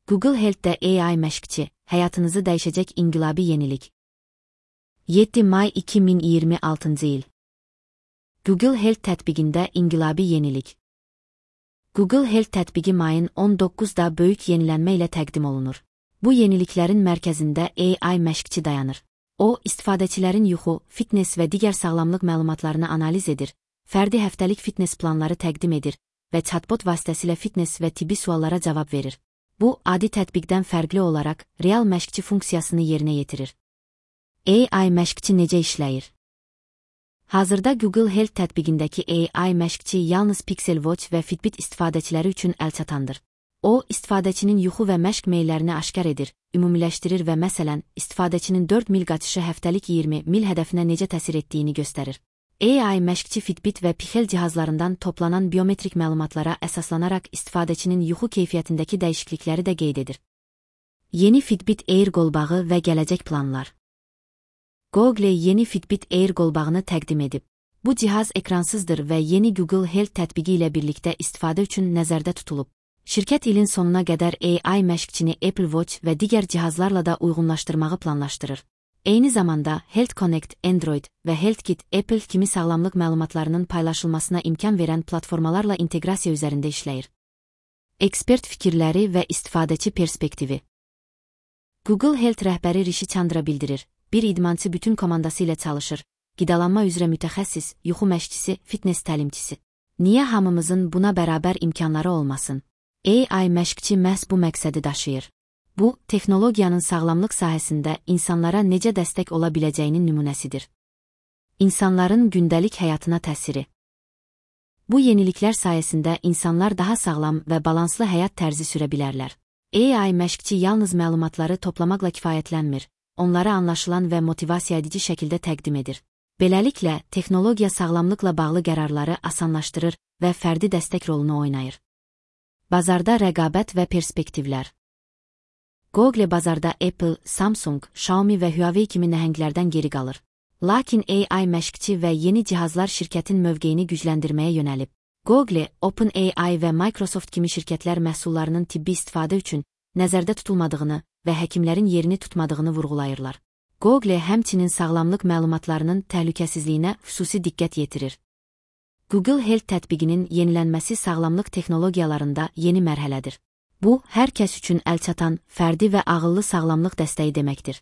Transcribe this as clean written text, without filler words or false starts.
Google Health'də AI məşqçi, həyatınızı dəyişəcək inqilabi yenilik. 7 may 2026 il. Google Health tətbiqində inqilabi yenilik. Google Health tətbiqi mayın 19-da böyük yenilənmə ilə təqdim olunur. Bu yeniliklərin mərkəzində AI məşqçi dayanır. O, istifadəçilərin yuxu, fitness və digər sağlamlıq məlumatlarını analiz edir, fərdi həftəlik fitness planları təqdim edir və chatbot vasitəsilə fitness və tibbi suallara cavab verir. Bu, adi tətbiqdən fərqli olaraq real məşqçi funksiyasını yerinə yetirir. AI məşqçi necə işləyir? Hazırda Google Health tətbiqindəki AI məşqçi yalnız Pixel Watch və Fitbit istifadəçiləri üçün əlçatandır. O, istifadəçinin yuxu və məşq meyllərini aşkar edir, ümumiləşdirir və məsələn, istifadəçinin 4 mil qaçışı həftəlik 20 mil hədəfinə necə təsir etdiyini göstərir. AI məşqçi Fitbit və Pixel cihazlarından toplanan biometrik məlumatlara əsaslanaraq istifadəçinin yuxu keyfiyyətindəki dəyişiklikləri də qeyd edir. Yeni Fitbit Air qolbağı və gələcək planlar. Google yeni Fitbit Air qolbağını təqdim edib. Bu cihaz ekransızdır və yeni Google Health tətbiqi ilə birlikdə istifadə üçün nəzərdə tutulub. Şirkət ilin sonuna qədər AI məşqçini Apple Watch və digər cihazlarla da uyğunlaşdırmağı planlaşdırır. Eyni zamanda Health Connect, Android və HealthKit Apple kimi sağlamlıq məlumatlarının paylaşılmasına imkan verən platformalarla inteqrasiya üzərində işləyir. Ekspert fikirləri və istifadəçi perspektivi. Google Health rəhbəri Rishi Chandra bildirir, bir idmançı bütün komandası ilə çalışır, qidalanma üzrə mütəxəssis, yuxu məşqçisi, fitness təlimçisi. Niyə hamımızın buna bərabər imkanları olmasın? AI məşqçi məhz bu məqsədi daşıyır. Bu, texnologiyanın sağlamlıq sahəsində insanlara necə dəstək ola biləcəyinin nümunəsidir. İnsanların gündəlik həyatına təsiri. Bu yeniliklər sayəsində insanlar daha sağlam və balanslı həyat tərzi sürə bilərlər. AI məşqçi yalnız məlumatları toplamaqla kifayətlənmir, onları anlaşılan və motivasiya edici şəkildə təqdim edir. Beləliklə, texnologiya sağlamlıqla bağlı qərarları asanlaşdırır və fərdi dəstək rolunu oynayır. Bazarda rəqabət və perspektivlər. Google bazarda Apple, Samsung, Xiaomi və Huawei kimi nəhənglərdən geri qalır. Lakin AI məşqçi və yeni cihazlar şirkətin mövqeyini gücləndirməyə yönəlib. Google, OpenAI və Microsoft kimi şirkətlər məhsullarının tibbi istifadə üçün nəzərdə tutulmadığını və həkimlərin yerini tutmadığını vurğulayırlar. Google həmçinin sağlamlıq məlumatlarının təhlükəsizliyinə xüsusi diqqət yetirir. Google Health tətbiqinin yenilənməsi sağlamlıq texnologiyalarında yeni mərhələdir. Bu, hər kəs üçün əlçatan, fərdi və ağıllı sağlamlıq dəstəyi deməkdir.